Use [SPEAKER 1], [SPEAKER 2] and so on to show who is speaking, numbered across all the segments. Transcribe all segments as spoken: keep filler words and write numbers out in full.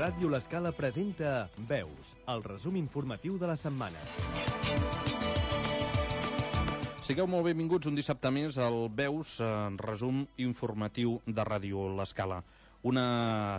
[SPEAKER 1] Ràdio L'Escala presenta Veus, el resum informatiu de la setmana.
[SPEAKER 2] Sigueu molt benvinguts un dissabte més al Veus, resum informatiu de Ràdio L'Escala. Una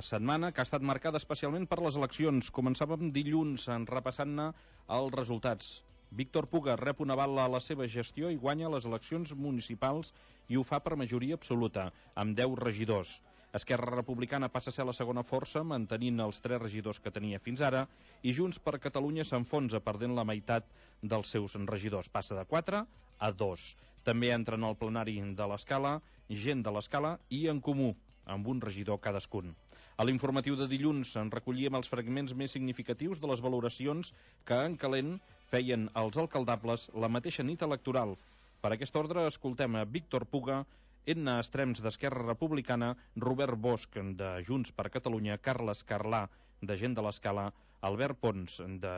[SPEAKER 2] setmana que ha estat marcada especialment per les eleccions. Començàvem dilluns repassant-ne els resultats. Víctor Puga rep un aval a la seva gestió i guanya les eleccions municipals i ho fa per majoria absoluta, amb deu regidors. Esquerra Republicana passa a ser la segona força, mantenint els tres regidors que tenia fins ara, i Junts per Catalunya s'enfonsa, perdent la meitat dels seus regidors. Passa de quatre a dos. També entren al plenari de l'Escala, gent de l'Escala i En Comú, amb un regidor cadascun. A l'informatiu de dilluns en recollíem els fragments més significatius de les valoracions que en calent feien els alcaldables la mateixa nit electoral. Per aquest ordre escoltem a Víctor Puga, Edna Estrems d'Esquerra Republicana, Robert Bosch de Junts per Catalunya, Carles Carlà de Gent de l'Escala, Albert Pons de,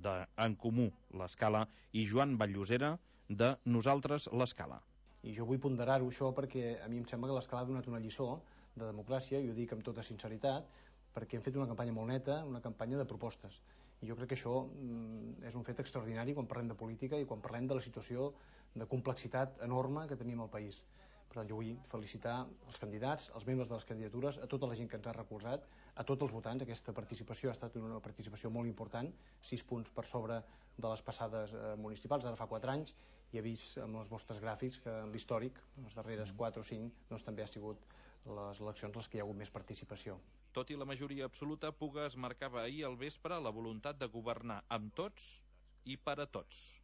[SPEAKER 2] de En Comú l'Escala i Joan Vall-llosera de Nosaltres l'Escala.
[SPEAKER 3] I jo vull ponderar-ho això perquè a mi em sembla que l'Escala ha donat una lliçó de democràcia, i ho dic amb tota sinceritat, perquè hem fet una campanya molt neta, una campanya de propostes. I jo crec que això mm, és un fet extraordinari quan parlem de política i quan parlem de la situació de complexitat enorme que tenim al país. Per tant, jo vull felicitar els candidats, els membres de les candidatures, a tota la gent que ens ha recolzat, a tots els votants. Aquesta participació ha estat una participació molt important, sis punts per sobre de les passades eh, municipals, ara fa quatre anys, i he vist amb els vostres gràfics que en l'històric, les darreres quatre o cinc, doncs també ha sigut les eleccions les que hi ha hagut més participació.
[SPEAKER 2] Tot i la majoria absoluta, Puga es marcava ahir al vespre la voluntat de governar amb tots i per a tots.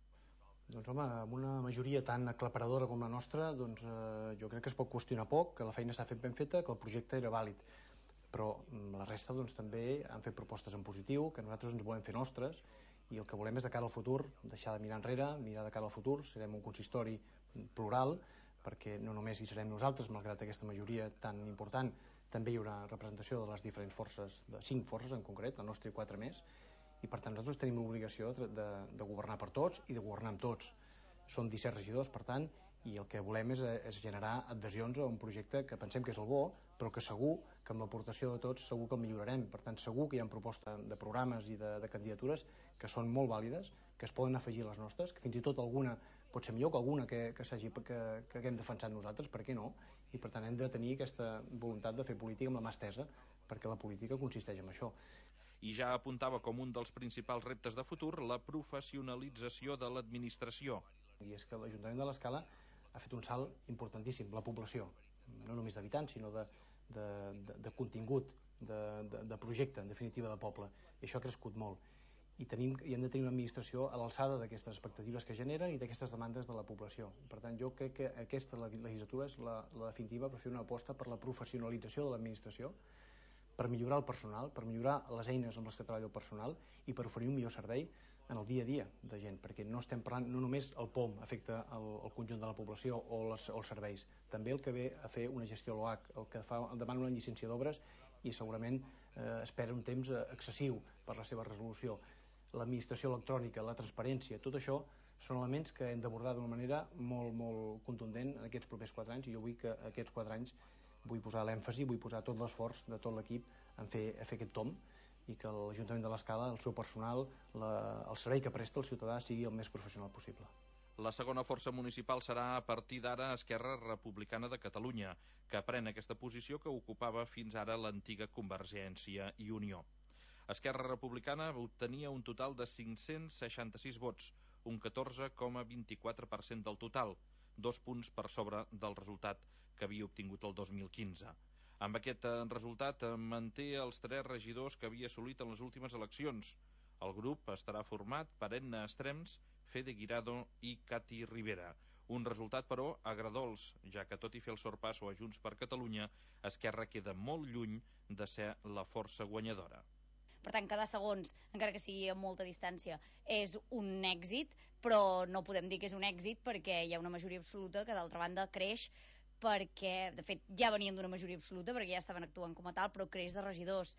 [SPEAKER 3] Doncs home, amb una majoria tan aclaparadora com la nostra, doncs eh, jo crec que es pot qüestionar poc, que la feina s'ha fet ben feta, que el projecte era vàlid. Però la resta doncs també han fet propostes en positiu, que nosaltres ens volem fer nostres, i el que volem és de cara al futur, deixar de mirar enrere, mirar de cara al futur. Serem un consistori plural, perquè no només hi serem nosaltres, malgrat aquesta majoria tan important, també hi haurà representació de les diferents forces, de cinc forces en concret, la nostra i quatre més, i per tant nosaltres tenim l'obligació de, de, de governar per tots i de governar amb tots. Som disset regidors, per tant, i el que volem és, és generar adhesions a un projecte que pensem que és el bo, però que segur que amb l'aportació de tots segur que el millorarem. Per tant, segur que hi ha propostes de programes i de, de candidatures que són molt vàlides, que es poden afegir a les nostres, que fins i tot alguna pot ser millor que alguna que, que, s'hagi, que, que haguem defensat nosaltres, per què no? I per tant hem de tenir aquesta voluntat de fer política amb la mà estesa, perquè la política consisteix en això.
[SPEAKER 2] I ja apuntava com un dels principals reptes de futur la professionalització de l'administració.
[SPEAKER 3] I és que l'Ajuntament de l'Escala ha fet un salt importantíssim, la població, no només d'habitants, sinó de, de, de, de contingut, de, de, de projecte, en definitiva, de poble. I això ha crescut molt. I, tenim, i hem de tenir una administració a l'alçada d'aquestes expectatives que generen i d'aquestes demandes de la població. Per tant, jo crec que aquesta legislatura és la, la definitiva per fer una aposta per la professionalització de l'administració, per millorar el personal, per millorar les eines amb les que treballa el personal i per oferir un millor servei en el dia a dia de gent, perquè no estem parlant, no només el P O M afecta el, el conjunt de la població o, les, o els serveis, també el que ve a fer una gestió a l'O H, el que fa, el demana una llicència d'obres i segurament eh, espera un temps excessiu per la seva resolució. L'administració electrònica, la transparència, tot això són elements que hem d'abordar d'una manera molt, molt contundent en aquests propers quatre anys, i jo vull que aquests quatre anys vull posar l'èmfasi, vull posar tot l'esforç de tot l'equip en fer, a fer aquest tom, i que l'Ajuntament de l'Escala, el seu personal, la, el servei que presta el ciutadà sigui el més professional possible.
[SPEAKER 2] La segona força municipal serà a partir d'ara Esquerra Republicana de Catalunya, que pren aquesta posició que ocupava fins ara l'antiga Convergència i Unió. Esquerra Republicana obtenia un total de cinc-cents seixanta-sis vots, un catorze coma vint-i-quatre per cent del total, dos punts per sobre del resultat que havia obtingut el dos mil quinze. Amb aquest resultat manté els tres regidors que havia assolit en les últimes eleccions. El grup estarà format per Edna Estrems, Fede Guirado i Cati Rivera. Un resultat, però, agradols, ja que tot i fer el sorpasso a Junts per Catalunya, Esquerra queda molt lluny de ser la força guanyadora.
[SPEAKER 4] Per tant, cada segons, encara que sigui a molta distància, és un èxit, però no podem dir que és un èxit perquè hi ha una majoria absoluta que, d'altra banda, creix perquè, de fet, ja venien d'una majoria absoluta perquè ja estaven actuant com a tal, però creix de regidors.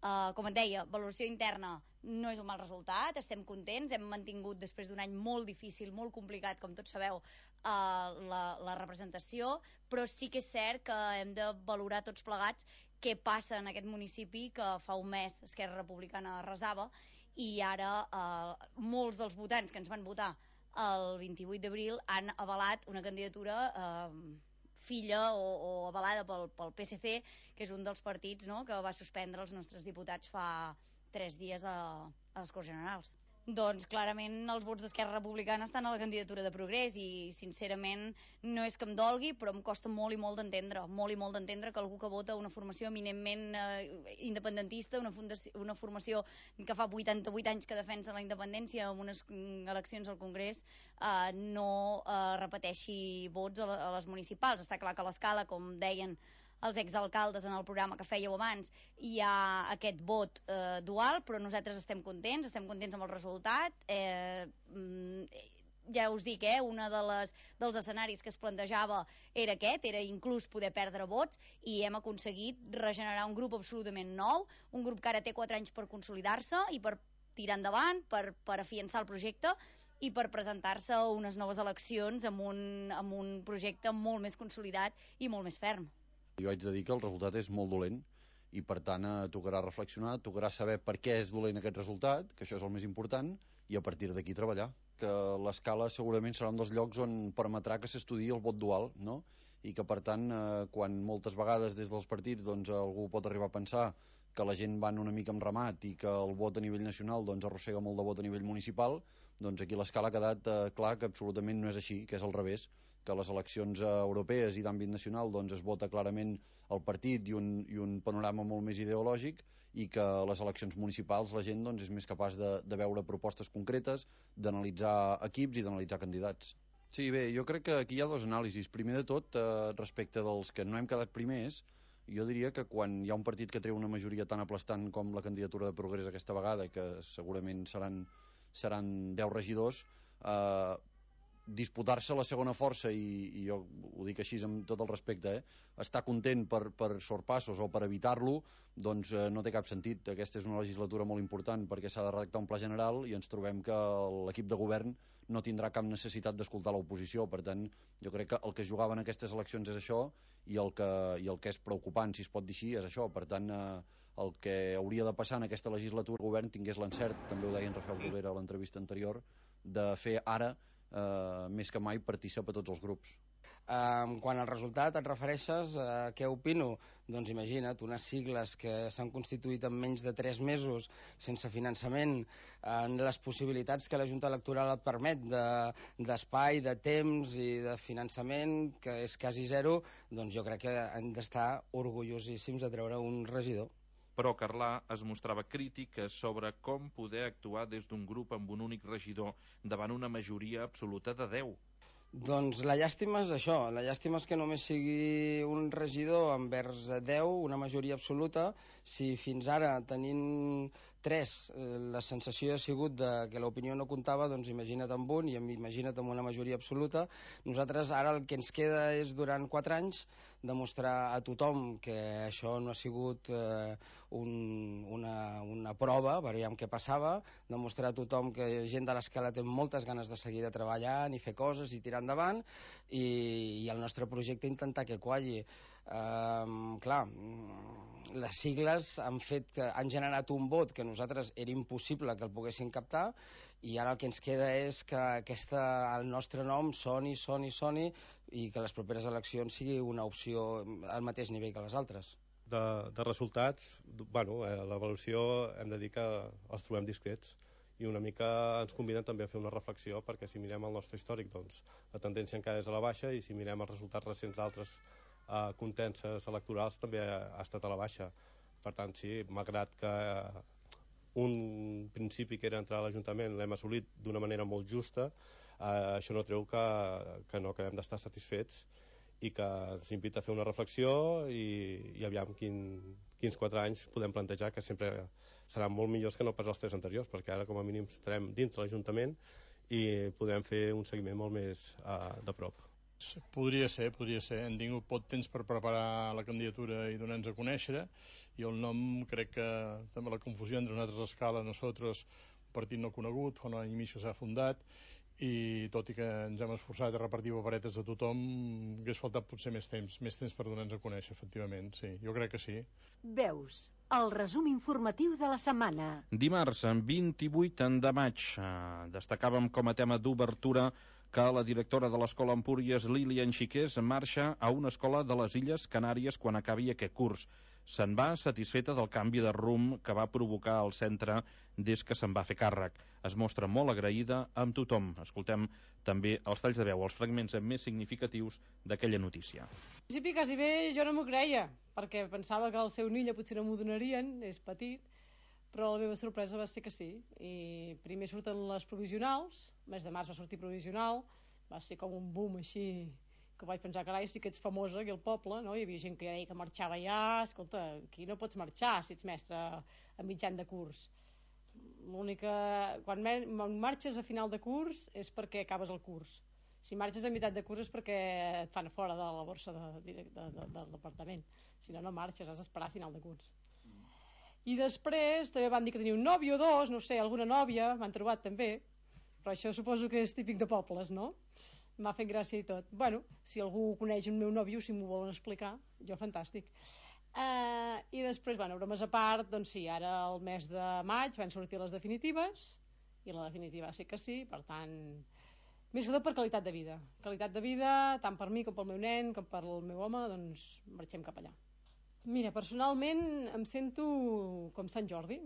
[SPEAKER 4] Uh, com et deia, valoració interna no és un mal resultat, estem contents, hem mantingut després d'un any molt difícil, molt complicat, com tots sabeu, uh, la, la representació, però sí que és cert que hem de valorar tots plegats què passa en aquest municipi que fa un mes Esquerra Republicana arrasava i ara eh, molts dels votants que ens van votar el vint-i-vuit d'abril han avalat una candidatura eh, filla o, o avalada pel, pel P S C, que és un dels partits, no?, que va suspendre els nostres diputats fa tres dies a, a les Corts Generals. Doncs clarament els vots d'Esquerra Republicana estan a la candidatura de Progrés i sincerament no és que em dolgui, però em costa molt i molt d'entendre, molt i molt d'entendre que algú que vota una formació eminentment eh, independentista, una, fundació, una formació que fa vuitanta-vuit anys que defensa la independència en unes eleccions al Congrés, eh, no eh, repeteixi vots a, a les municipals. Està clar que a l'Escala, com deien els exalcaldes en el programa que fèieu abans, hi ha aquest vot eh, dual, però nosaltres estem contents, estem contents amb el resultat. Eh, ja us dic, eh, una de les, dels escenaris que es plantejava era aquest, era inclús poder perdre vots, i hem aconseguit regenerar un grup absolutament nou, un grup que ara té quatre anys per consolidar-se i per tirar endavant, per, per afiançar el projecte i per presentar-se a unes noves eleccions amb un, amb un projecte molt més consolidat i molt més ferm.
[SPEAKER 5] Jo haig de dir que el resultat és molt dolent i per tant eh, tocarà reflexionar, tocarà saber per què és dolent aquest resultat, que això és el més important, i a partir d'aquí treballar. Que l'Escala segurament serà un dels llocs on permetrà que s'estudiï el vot dual, no? I que per tant, eh, quan moltes vegades des dels partits doncs, algú pot arribar a pensar que la gent van una mica amb ramat i que el vot a nivell nacional doncs, arrossega molt de vot a nivell municipal, doncs aquí l'Escala ha quedat eh, clar que absolutament no és així, que és al revés, que a les eleccions eh, europees i d'àmbit nacional doncs, es vota clarament el partit i un, i un panorama molt més ideològic, i que a les eleccions municipals la gent doncs, és més capaç de, de veure propostes concretes, d'analitzar equips i d'analitzar candidats. Sí, bé, jo crec que aquí hi ha dos anàlisis. Primer de tot, eh, respecte dels que no hem quedat primers, jo diria que quan hi ha un partit que treu una majoria tan aplastant com la candidatura de Progrés aquesta vegada, que segurament seran, seran deu regidors, eh, disputar-se la segona força, i, i jo ho dic així amb tot el respecte, eh, estar content per, per sorpassos o per evitar-lo, doncs eh, no té cap sentit. Aquesta és una legislatura molt important perquè s'ha de redactar un pla general i ens trobem que l'equip de govern no tindrà cap necessitat d'escoltar l'oposició. Per tant, jo crec que el que es jugava en aquestes eleccions és això, i el que, i el que és preocupant, si es pot dir així, és això. Per tant, eh, el que hauria de passar en aquesta legislatura, el govern tingués l'encert, també ho deia en Rafael Bruguera a l'entrevista anterior, de fer ara Uh, més que mai partícip a tots els grups.
[SPEAKER 6] Um, quan al resultat et refereixes a uh, què opino? Doncs imagina't, unes sigles que s'han constituït en menys de tres mesos sense finançament, en les possibilitats que la Junta Electoral et permet d'espai, de, de temps i de finançament, que és quasi zero, doncs jo crec que hem d'estar orgullosíssims de treure un regidor.
[SPEAKER 2] Però Carlà es mostrava crític sobre com poder actuar des d'un grup amb un únic regidor davant una majoria absoluta de deu.
[SPEAKER 6] Doncs la llàstima és això, la llàstima és que només sigui un regidor envers deu, una majoria absoluta. Si fins ara tenint tres la sensació ha sigut de que l'opinió no comptava, doncs imagina't amb un i imagina't amb una majoria absoluta. Nosaltres ara el que ens queda és durant quatre anys demostrar a tothom que això no ha sigut eh, un, una, una prova, veiem què passava, demostrar a tothom que gent de l'Escala té moltes ganes de seguir de treballar i fer coses i tirar endavant, i, i el nostre projecte intentar que qualli. Uh, clar, les sigles han fet que han generat un vot que nosaltres era impossible que el poguessin captar, i ara el que ens queda és que aquesta, el nostre nom soni, soni, soni, i que les properes eleccions sigui una opció al mateix nivell que les altres.
[SPEAKER 7] De, de resultats, bueno, eh, l'avaluació hem de dir que els trobem discrets, i una mica ens conviden també a fer una reflexió, perquè si mirem el nostre històric, doncs la tendència encara és a la baixa, i si mirem els resultats recents d'altres eh, contenses electorals també ha estat a la baixa. Per tant, sí, malgrat que eh, un principi que era entrar a l'Ajuntament l'hem assolit d'una manera molt justa, eh, això no treu que, que no acabem d'estar satisfets, i que ens invita a fer una reflexió i, i aviam quin, quins quatre anys podem plantejar, que sempre seran molt millors que no pas els tres anteriors, perquè ara com a mínim estarem dintre l'Ajuntament i podrem fer un seguiment molt més uh, de prop.
[SPEAKER 8] Podria ser, podria ser. Hem tingut poc temps per preparar la candidatura i donar-nos a conèixer, i el nom crec que també la confusió entre nosaltres, Escala, nosaltres, un partit no conegut, fa un any i mig que s'ha fundat, i tot i que ens hem esforçat a repartir paperetes a tothom, hagués faltat potser més temps, més temps per donar-nos a conèixer, efectivament, sí, jo crec que sí.
[SPEAKER 9] Veus, el resum informatiu de la setmana.
[SPEAKER 2] Dimarts, vint-i-vuit de maig, eh, destacàvem com a tema d'obertura que la directora de l'Escola Empúries, Lilian Xiqués, marxa a una escola de les Illes Canàries quan acabi aquest curs. Se'n va satisfeta del canvi de rumb que va provocar al centre des que se'n va fer càrrec. Es mostra molt agraïda amb tothom. Escoltem també els talls de veu, els fragments més significatius d'aquella notícia.
[SPEAKER 10] Al principi quasi bé jo no m'ho creia, perquè pensava que el seu Nilla potser no m'ho donarien, és petit, però la meva sorpresa va ser que sí. I primer surten les provisionals, el mes de març va sortir provisional, va ser com un boom així, que vaig pensar, carai, sí que ets famosa aquí al poble, no? Hi havia gent que ja deia que marxava ja, escolta, aquí no pots marxar si ets mestre a mitjan de curs. L'única... Quan marxes a final de curs és perquè acabes el curs. Si marxes a meitat de curs és perquè et fan fora de la borsa de, de, de, de, del departament. Si no, no marxes, has d'esperar a final de curs. I després també van dir que tenia un nòvio o dos, no sé, alguna nòvia, m'han trobat també, però això suposo que és típic de pobles, no? M'ha fet gràcia i tot. Bueno, si algú coneix el meu nòvio, si m'ho volen explicar, jo fantàstic. Uh, I després, bueno, bromes a part, doncs sí, ara el mes de maig van sortir les definitives, i la definitiva sí que sí, per tant, més que tot per qualitat de vida. Qualitat de vida, tant per mi com pel meu nen, com per el meu home, doncs marxem cap allà. Mira, personalment em sento com Sant Jordi.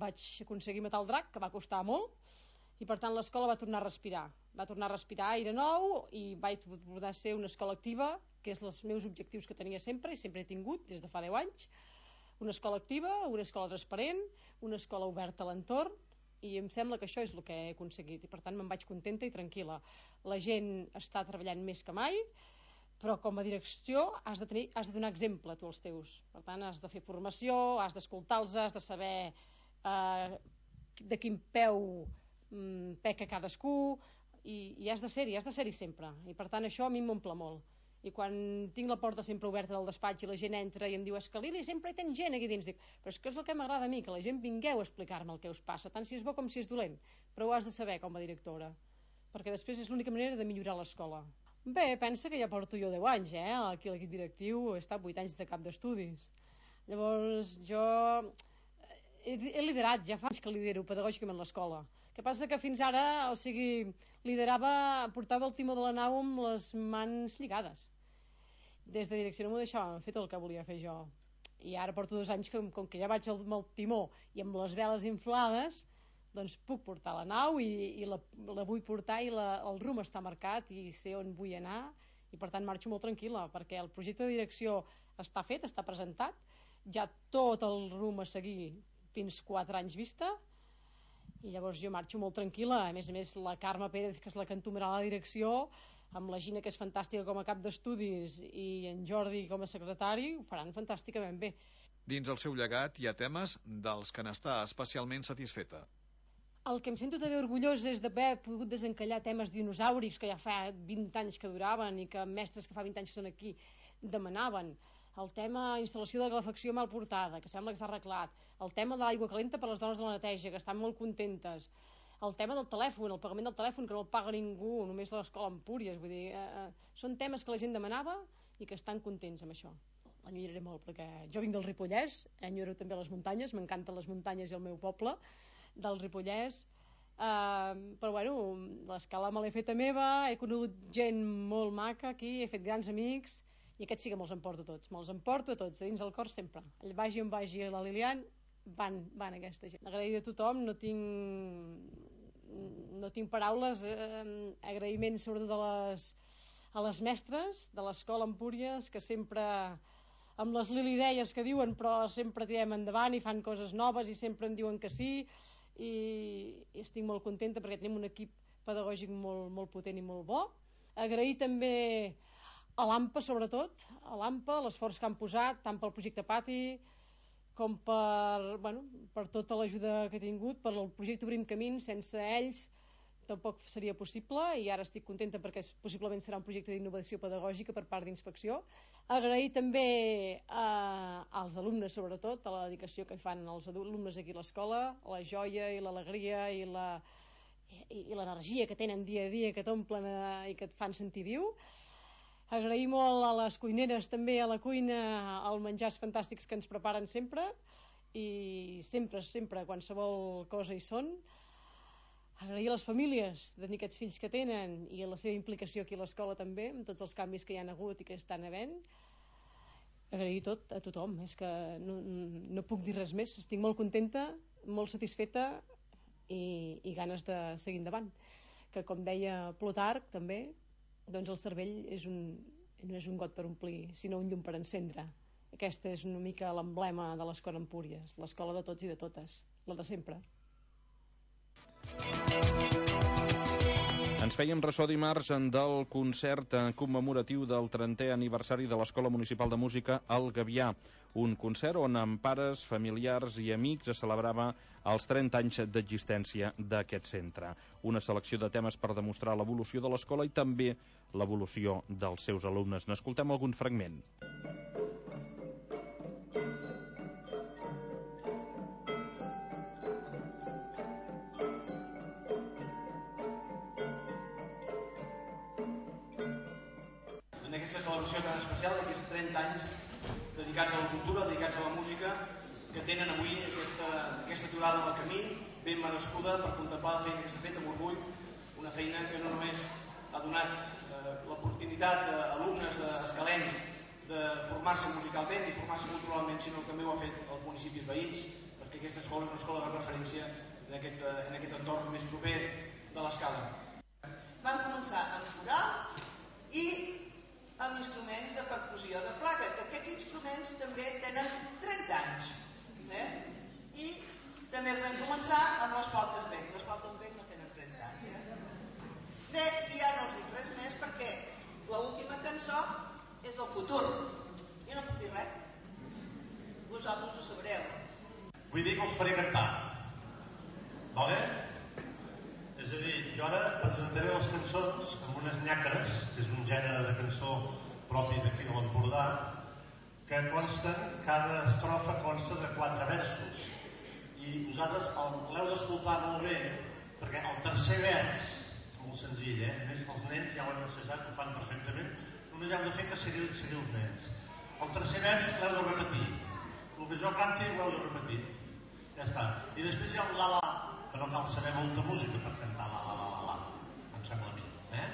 [SPEAKER 10] Vaig aconseguir matar el drac, que va costar molt, i per tant l'escola va tornar a respirar. Va tornar a respirar aire nou i vaig poder ser una escola activa, que és els meus objectius que tenia sempre i sempre he tingut des de fa deu anys. Una escola activa, una escola transparent, una escola oberta a l'entorn, i em sembla que això és el que he aconseguit i per tant me'n vaig contenta i tranquil·la. La gent està treballant més que mai, però com a direcció has de, tenir, has de donar exemple a tu als teus. Per tant, has de fer formació, has d'escoltar-los, has de saber eh, de quin peu mm, peca cadascú, i, i has de ser-hi, has de ser-hi sempre. I per tant això a mi m'omple molt. I quan tinc la porta sempre oberta del despatx i la gent entra i em diu, és que Lili, sempre hi tens gent aquí dins, dic, però és que és el que m'agrada a mi, que la gent vingueu a explicar-me el que us passa, tant si és bo com si és dolent, però ho has de saber com a directora, perquè després és l'única manera de millorar l'escola. Bé, pensa que ja porto jo deu anys, eh? Aquí a l'equip directiu he estat vuit anys de cap d'estudis. Llavors jo he, he liderat, ja fa anys que lidero pedagògicament l'escola. El que passa que fins ara, o sigui, liderava, portava el timó de la nau amb les mans lligades. Des de direcció no m'ho deixàvem fer tot el que volia fer jo. I ara porto dos anys que, com que ja vaig amb el timó i amb les veles inflades, doncs puc portar la nau i, i la, la vull portar i la, el rumb està marcat i sé on vull anar i per tant marxo molt tranquil·la perquè el projecte de direcció està fet, està presentat, ja tot el rumb a seguir fins quatre anys vista i llavors jo marxo molt tranquil·la. A més a més la Carme Pérez, que és la que entomarà la direcció, amb la Gina, que és fantàstica com a cap d'estudis, i en Jordi com a secretari, ho faran fantàsticament bé.
[SPEAKER 11] Dins el seu llegat hi ha temes dels que n'està especialment satisfeta.
[SPEAKER 10] El que em sento també orgullosa és d'haver pogut desencallar temes dinosàurics que ja fa vint anys que duraven i que mestres que fa vint anys que són aquí demanaven. El tema instal·lació de calefacció mal portada, que sembla que s'ha arreglat. El tema de l'aigua calenta per les dones de la neteja, que estan molt contentes. El tema del telèfon, el pagament del telèfon, que no el paga ningú, només l'escola Empúries. Vull dir, eh, són temes que la gent demanava i que estan contents amb això. L'enyoraré molt, perquè jo vinc del Ripollès, enyoro també les muntanyes, m'encanten les muntanyes i el meu poble, del Ripollès, eh, però bueno, l'escala me l'he feta meva, he conegut gent molt maca aquí, he fet grans amics, i aquests sí que me'ls emporto tots, me'ls emporto tots, dins del cor sempre. Vagi on vagi la Lilian, van, van aquesta gent. Agraïda a tothom, no tinc, no tinc paraules, eh, agraïments sobretot a les, a les mestres de l'escola Empúries, que sempre, amb les lilideies que diuen, però sempre tirem endavant i fan coses noves i sempre em diuen que sí, i, i estic molt contenta perquè tenim un equip pedagògic molt, molt potent i molt bo. Agrair també a l'AMPA, sobretot, a l'AMPA, l'esforç que han posat, tant pel projecte Pati, com per, bueno, per tota l'ajuda que he tingut, per el projecte Obrim Camins. Sense ells tampoc seria possible, i ara estic contenta perquè possiblement serà un projecte d'innovació pedagògica per part d'Inspecció. Agrair també eh, als alumnes, sobretot, a la dedicació que fan els alumnes aquí a l'escola, la joia i l'alegria i la... i, i l'energia que tenen dia a dia, que t'omplen eh, i que et fan sentir viu. Agrair molt a les cuineres també, a la cuina, els menjars fantàstics que ens preparen sempre, i sempre, sempre, qualsevol cosa hi són. Agrair a les famílies de tenir aquests fills que tenen i a la seva implicació aquí a l'escola també, amb tots els canvis que hi han hagut i que estan havent. Agrair tot a tothom, és que no, no puc dir res més. Estic molt contenta, molt satisfeta i, i ganes de seguir endavant. Que com deia Plutarc també, doncs el cervell és un, no és un got per omplir, sinó un llum per encendre. Aquesta és una mica l'emblema de l'Escola Empúries, l'escola de tots i de totes, la de sempre.
[SPEAKER 2] Ens fèiem ressò dimarts del concert commemoratiu del trentè aniversari de l'Escola Municipal de Música El Gavià, un concert on amb pares, familiars i amics es celebrava els trenta anys d'existència d'aquest centre. Una selecció de temes per demostrar l'evolució de l'escola i també l'evolució dels seus alumnes. N'escoltem algun fragment.
[SPEAKER 12] Celebració tan especial d'aquests trenta anys dedicats a la cultura, dedicats a la música, que tenen avui aquesta, aquesta aturada del camí ben merescuda per contemplar la feina que s'ha fet amb orgull, una feina que no només ha donat eh, l'oportunitat a alumnes escalencs de formar-se musicalment i formar-se culturalment, sinó que també ho ha fet els municipis veïns, perquè aquesta escola és una escola de referència en aquest, en aquest entorn més proper de l'Escala.
[SPEAKER 13] Van començar amb coral i amb instruments de percussió de placa, que aquests instruments també tenen trenta anys. Eh? I també vam començar amb les flautes bec. Les flautes bec no tenen trenta anys. Eh? Bé, i ja no us dic res més perquè l'última cançó és el futur. Jo no puc dir res. Vosaltres ho sabreu.
[SPEAKER 14] Vull dir que us faré cantar. Vale? És a dir, jo ara presentaré les cançons amb unes nyàcares, que és un gènere de cançó propi d'aquí de l'Empordà, que consten, cada estrofa consta de quatre versos. I vosaltres l'heu d'escoltar molt bé, perquè el tercer vers, és molt senzill, eh? A més, els nens ja ho han assajat, ho fan perfectament, només heu de fer que seguir, seguir els nens. El tercer vers l'heu de repetir. El que jo canti l'heu de repetir. Ja està. I després hi ha un la-la, que no cal saber molta música per cantar la la la la la, em sembla a mi, eh?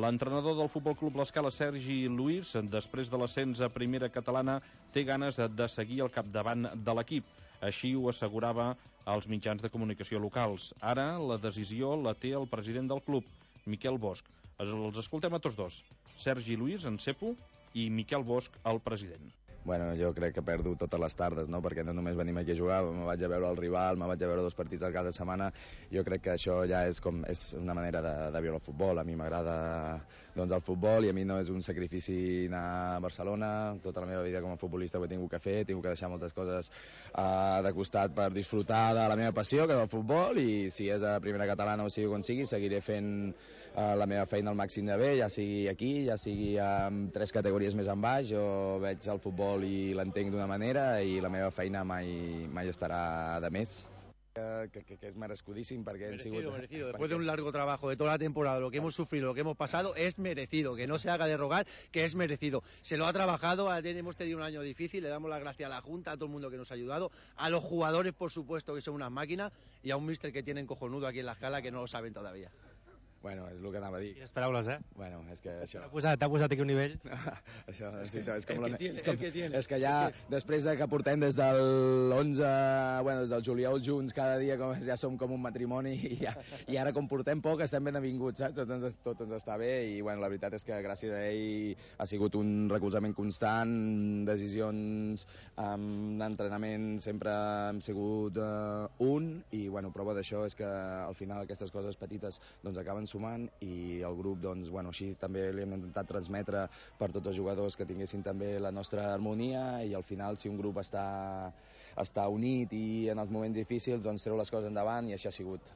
[SPEAKER 2] L'entrenador del Futbol Club L'Escala, Sergi Luís, després de l'ascens a primera catalana, té ganes de seguir al capdavant de l'equip. Així ho assegurava als mitjans de comunicació locals. Ara la decisió la té el president del club, Miquel Bosch. Els escoltem a tots dos, Sergi Luís, en cepo, i Miquel Bosch, el president.
[SPEAKER 15] Bueno, jo crec que perdo totes les tardes, no? Perquè no només venim aquí a jugar, me vaig a veure el rival, me vaig a veure dos partits al cap de setmana. Jo crec que això ja és com és una manera de, de viure el futbol. A mi m'agrada doncs, el futbol i a mi no és un sacrifici anar a Barcelona. Tota la meva vida com a futbolista ho he tingut que fer, he tingut que deixar moltes coses uh, de costat per disfrutar de la meva passió, que és el futbol, i si és a primera catalana o sigui on sigui, seguiré fent uh, la meva feina al màxim de bé, ja sigui aquí, ja sigui amb tres categories més en baix. Jo veig el futbol i l'entenc d'una manera i la meva feina mai, mai estarà de més. Que, que, que es merescudíssim perquè
[SPEAKER 16] merecido,
[SPEAKER 15] hem sigut...
[SPEAKER 16] merecido. Después de un largo trabajo de toda la temporada, lo que hemos sufrido, lo que hemos pasado, es merecido, que no se haga de rogar, que es merecido. Se lo ha trabajado, hemos tenido un año difícil, le damos las gracias a la Junta, a todo el mundo que nos ha ayudado, a los jugadores, por supuesto, que son unas máquinas, y a un míster que tienen cojonudo aquí en la escala que no lo saben todavía.
[SPEAKER 15] Bueno, és el que anava a dir.
[SPEAKER 17] Quines paraules, eh?
[SPEAKER 15] Bueno, és que això...
[SPEAKER 17] T'ha posat, posat aquí un nivell.
[SPEAKER 15] Això, sí, és com...
[SPEAKER 16] El que tiene,
[SPEAKER 15] és, com,
[SPEAKER 16] el que tiene.
[SPEAKER 15] és que ja, després de que portem des del onze, bueno, des del juliol junts, cada dia com, ja som com un matrimoni, i, ja, i ara com portem poc estem ben avinguts, saps? Tot ens, tot ens està bé, i bueno, la veritat és que gràcies a ell ha sigut un recolzament constant, decisions, um, d'entrenament sempre hem sigut uh, un, i bueno, prova d'això és que al final aquestes coses petites doncs acaben sumant, i el grup doncs, bueno, així també li hem intentat transmetre per tots els jugadors que tinguessin també la nostra harmonia, i al final si un grup està, està unit i en els moments difícils doncs treu les coses endavant, i això ha sigut.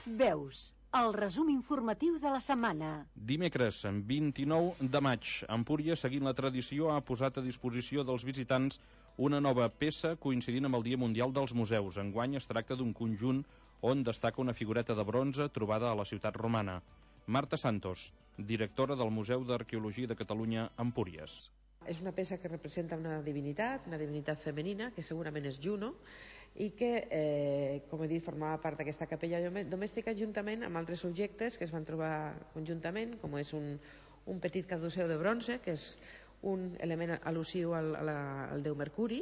[SPEAKER 9] Veus, el resum informatiu de la setmana.
[SPEAKER 2] Dimecres, vint-i-nou de maig, Empúries, seguint la tradició, ha posat a disposició dels visitants una nova peça coincidint amb el Dia Mundial dels Museus. Enguany es tracta d'un conjunt on destaca una figureta de bronze trobada a la ciutat romana. Marta Santos, directora del Museu d'Arqueologia de Catalunya, Empúries.
[SPEAKER 18] És una peça que representa una divinitat, una divinitat femenina, que segurament és Juno, i que, eh, com he dit, formava part d'aquesta capella domèstica juntament amb altres objectes que es van trobar conjuntament, com és un, un petit caduceu de bronze, que és un element al·lusiu al, al déu Mercuri,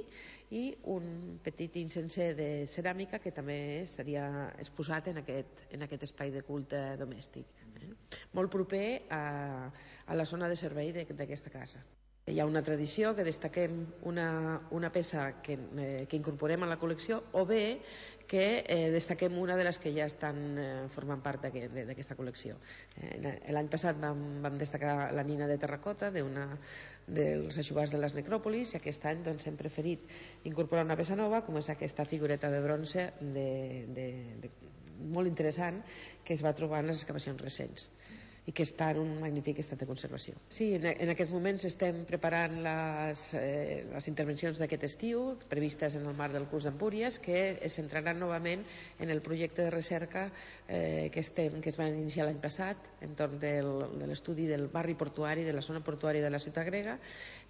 [SPEAKER 18] i un petit incenser de ceràmica que també seria exposat en aquest, en aquest espai de culte domèstic, eh? Molt proper a, a la zona de servei d'aquesta casa. Hi ha una tradició que destaquem una, una peça que, eh, que incorporem a la col·lecció, o bé que eh, destaquem una de les que ja estan eh, formant part d'aquesta col·lecció. Eh, L'any passat vam, vam destacar la nina de terracota d'una dels aixovars de les necròpolis, i aquest any doncs, hem preferit incorporar una peça nova, com és aquesta figureta de bronze de, de, de, molt interessant, que es va trobar en les excavacions recents i que està en un magnífic estat de conservació. Sí, en, en aquests moments estem preparant les, eh, les intervencions d'aquest estiu, previstes en el marc del curs d'Empúries, que es centraran novament en el projecte de recerca eh, que, estem, que es va iniciar l'any passat entorn del, de l'estudi del barri portuari, de la zona portuària de la ciutat grega,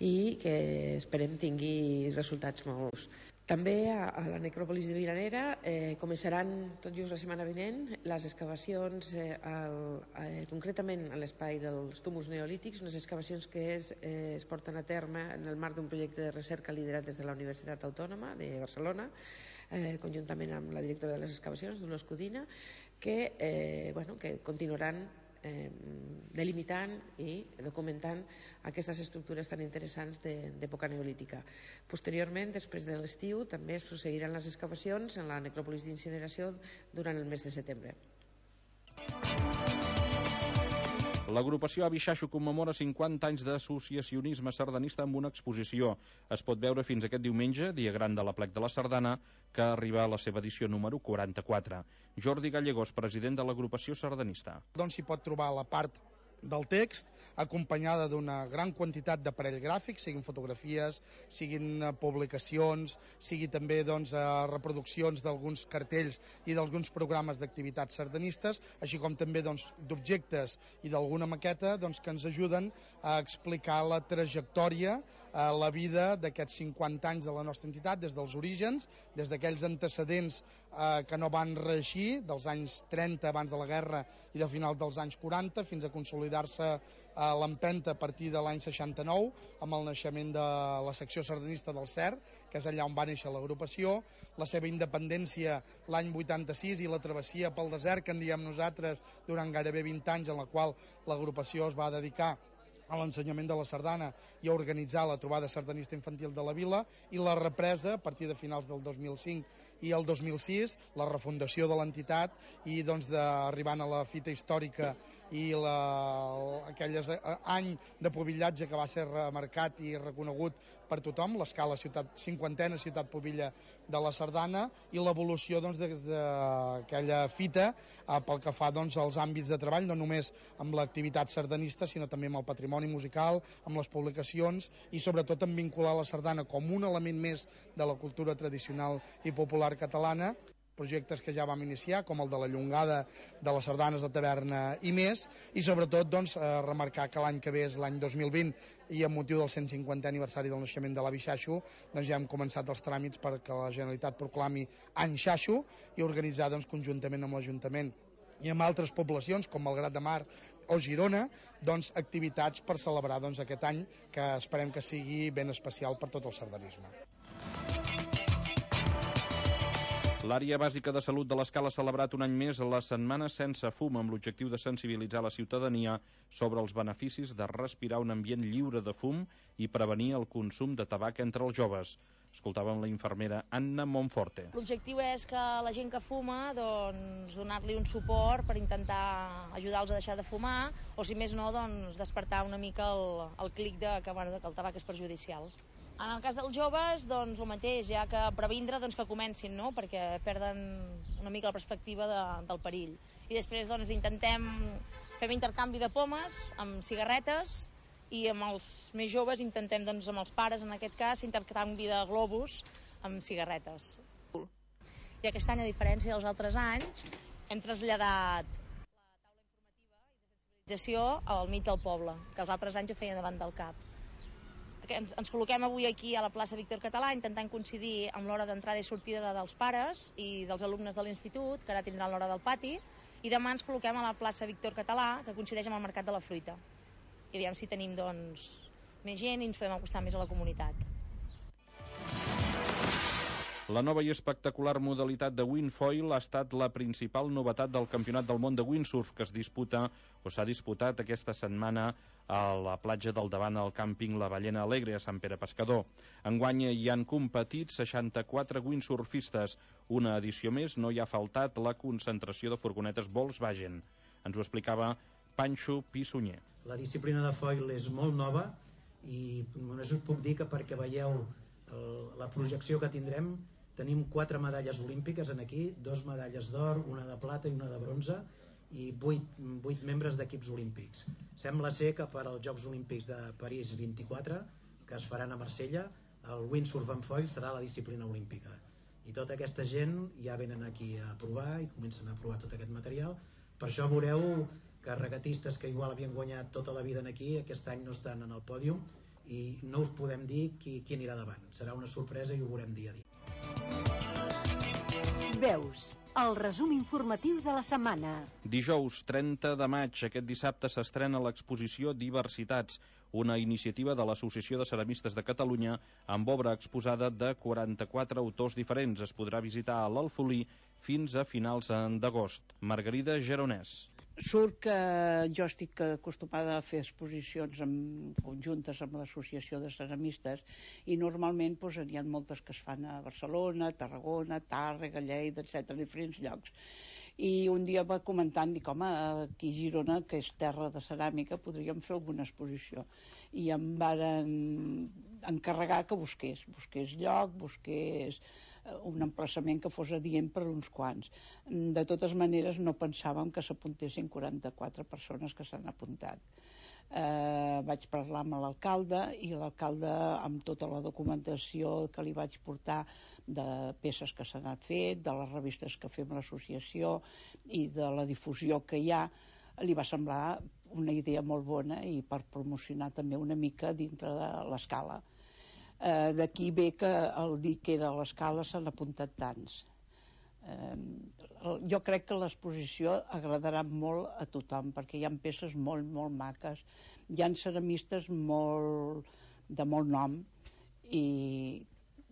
[SPEAKER 18] i que esperem tingui resultats molt. També a, a la necròpolis de Vilanera eh, començaran tot just la setmana vinent les excavacions, eh, al, eh, concretament a l'espai dels túmuls neolítics, unes excavacions que es, eh, es porten a terme en el marc d'un projecte de recerca liderat des de la Universitat Autònoma de Barcelona, eh, conjuntament amb la directora de les excavacions, Dolors Codina, que, eh, bueno, que continuaran Eh, delimitant i documentant aquestes estructures tan interessants d'època neolítica. Posteriorment, després de l'estiu, també es procegiran les excavacions en la necròpolis d'incineració durant el mes de setembre.
[SPEAKER 2] L'agrupació Avi Xaxo commemora cinquanta anys d'associacionisme sardanista amb una exposició. Es pot veure fins aquest diumenge, dia gran de l'Aplec de la Sardana, que arriba a la seva edició número quaranta-quatre. Jordi Gallegos, president de l'agrupació sardanista.
[SPEAKER 19] Doncs s'hi pot trobar la part del text, acompanyada d'una gran quantitat d'aparell gràfic, siguin fotografies, siguin publicacions, sigui també doncs, reproduccions d'alguns cartells i d'alguns programes d'activitats sardanistes, així com també doncs, d'objectes i d'alguna maqueta doncs, que ens ajuden a explicar la trajectòria, eh, la vida d'aquests cinquanta anys de la nostra entitat, des dels orígens, des d'aquells antecedents eh, que no van reeixir, dels anys trenta abans de la guerra i de final dels anys quaranta, fins a consolidar-se a l'empenta a partir de l'any seixanta-nou, amb el naixement de la secció sardanista del C E R, que és allà on va néixer l'agrupació, la seva independència l'any vuitanta-sis i la travessia pel desert, que en diem nosaltres, durant gairebé vint anys, en la qual l'agrupació es va dedicar a l'ensenyament de la sardana i a organitzar la trobada sardanista infantil de la vila, i la represa a partir de finals del dos mil cinc i el dos mil sis la refundació de l'entitat i doncs d'arribant a la fita històrica i la, aquell any de pubillatge que va ser remarcat i reconegut per tothom, l'escala ciutat, cinquantena ciutat pubilla de la Sardana, i l'evolució doncs, des d'aquella fita eh, pel que fa doncs, als àmbits de treball, no només amb l'activitat sardanista, sinó també amb el patrimoni musical, amb les publicacions i sobretot en vincular la sardana com un element més de la cultura tradicional i popular catalana, projectes que ja vam iniciar, com el de la Llongada de les sardanes de taverna i més, i sobretot doncs, eh, remarcar que l'any que ve és l'any dos mil vint i amb motiu del cent cinquantè aniversari del naixement de l'avi Xaixo, doncs ja hem començat els tràmits perquè la Generalitat proclami any Xaixo i organitzar doncs, conjuntament amb l'Ajuntament i amb altres poblacions com Malgrat de Mar o Girona, doncs, activitats per celebrar doncs, aquest any que esperem que sigui ben especial per tot el sardanisme.
[SPEAKER 2] L'àrea bàsica de salut de l'Escala ha celebrat un any més la Setmana Sense Fum amb l'objectiu de sensibilitzar la ciutadania sobre els beneficis de respirar un ambient lliure de fum i prevenir el consum de tabac entre els joves. Escoltàvem la infermera Anna Monforte.
[SPEAKER 17] L'objectiu és que la gent que fuma doncs, donar-li un suport per intentar ajudar-los a deixar de fumar o si més no doncs, despertar una mica el, el clic de que, bueno, que el tabac és perjudicial. En el cas dels joves, doncs el mateix, ja que previndre doncs, que comencin, no? Perquè perden una mica la perspectiva de, del perill. I després doncs, intentem fer intercanvi de pomes amb cigarretes i amb els més joves intentem, doncs, amb els pares, en aquest cas, intercanvi de globus amb cigarretes. I aquest any, a diferència dels altres anys, hem traslladat la taula informativa i de sensibilització al mig del poble, que els altres anys ho feien davant del cap. Ens, ens col·loquem avui aquí a la plaça Víctor Català intentant coincidir amb l'hora d'entrada i sortida de, dels pares i dels alumnes de l'institut, que ara tindran l'hora del pati, i demà ens col·loquem a la plaça Víctor Català, que coincideix amb el Mercat de la Fruita. I aviam si tenim doncs, més gent i ens podem acostar més a la comunitat.
[SPEAKER 2] La nova i espectacular modalitat de windfoil ha estat la principal novetat del Campionat del Món de Windsurf que es disputa o s'ha disputat aquesta setmana a la platja del Davant al càmping La Ballena Alegre a Sant Pere Pescador. Enguany hi han competit seixanta-quatre windsurfistes. Una edició més no hi ha faltat la concentració de furgonetes Volkswagen. Ens ho explicava Panxo Pissunyer.
[SPEAKER 20] La disciplina de foil és molt nova i només us puc dir que perquè veieu el, la projecció que tindrem, tenim quatre medalles olímpiques en aquí, dos medalles d'or, una de plata i una de bronze i vuit, vuit membres d'equips olímpics. Sembla ser que per als Jocs Olímpics de París vint-i-quatre, que es faran a Marsella, el windsurf en foil serà la disciplina olímpica. I tota aquesta gent ja venen aquí a provar i comencen a provar tot aquest material. Per això veureu que regatistes que igual havien guanyat tota la vida aquí, aquest any no estan en el pòdium i no us podem dir qui, qui anirà davant. Serà una sorpresa i ho veurem dia a dia.
[SPEAKER 9] Veus, el resum informatiu de la setmana.
[SPEAKER 2] Dijous trenta de maig, aquest dissabte s'estrena l'exposició Diversitats, una iniciativa de l'Associació de Ceramistes de Catalunya amb obra exposada de quaranta-quatre autors diferents. Es podrà visitar a l'Alfolí fins a finals d'agost. Margarida Geronès.
[SPEAKER 21] Surt que jo estic acostumada a fer exposicions amb, conjuntes amb l'Associació de Ceramistes i normalment doncs, n'hi ha moltes que es fan a Barcelona, Tarragona, Tàrrega, Lleida, etcètera, diferents llocs. I un dia va comentant, dic, home, aquí a Girona, que és terra de ceràmica, podríem fer alguna exposició. I em varen encarregar que busqués, busqués lloc, busqués un emplaçament que fos adient per uns quants. De totes maneres, no pensàvem que s'apuntessin quaranta-quatre persones que s'han apuntat. Eh, vaig parlar amb l'alcalde i l'alcalde, amb tota la documentació que li vaig portar de peces que s'han fet, de les revistes que fem l'associació i de la difusió que hi ha, li va semblar una idea molt bona i per promocionar també una mica dintre de l'escala. Eh, d'aquí ve que el dir que era a l'escala s'han apuntat tants. Eh, jo crec que l'exposició agradarà molt a tothom perquè hi ha peces molt, molt maques, hi ha ceramistes molt, de molt nom i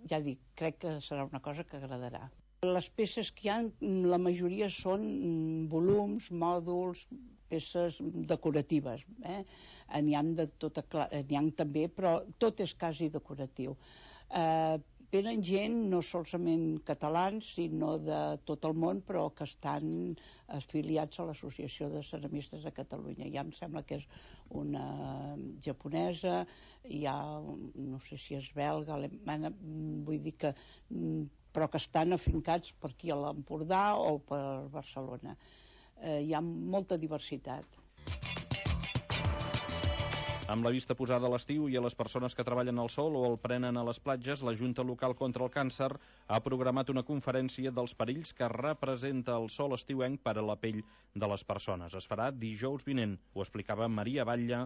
[SPEAKER 21] ja dic, crec que serà una cosa que agradarà. Les peces que hi ha, la majoria són volums, mòduls, peces decoratives, eh? N'hi ha de tota, n'hi ha també, però tot és quasi decoratiu. Eh, venen gent no solament catalans, sinó de tot el món, però que estan afiliats a l'Associació de Ceramistes de Catalunya. Ja em sembla que és una japonesa, hi ha, no sé si és belga, alemanya, vull dir que, però que estan afincats per aquí a l'Empordà o per Barcelona. Eh, hi ha molta diversitat.
[SPEAKER 2] Amb la vista posada a l'estiu i a les persones que treballen al sol o el prenen a les platges, la Junta Local contra el Càncer ha programat una conferència dels perills que representa el sol estiuenc per a la pell de les persones. Es farà dijous vinent. Ho explicava Maria Batlle,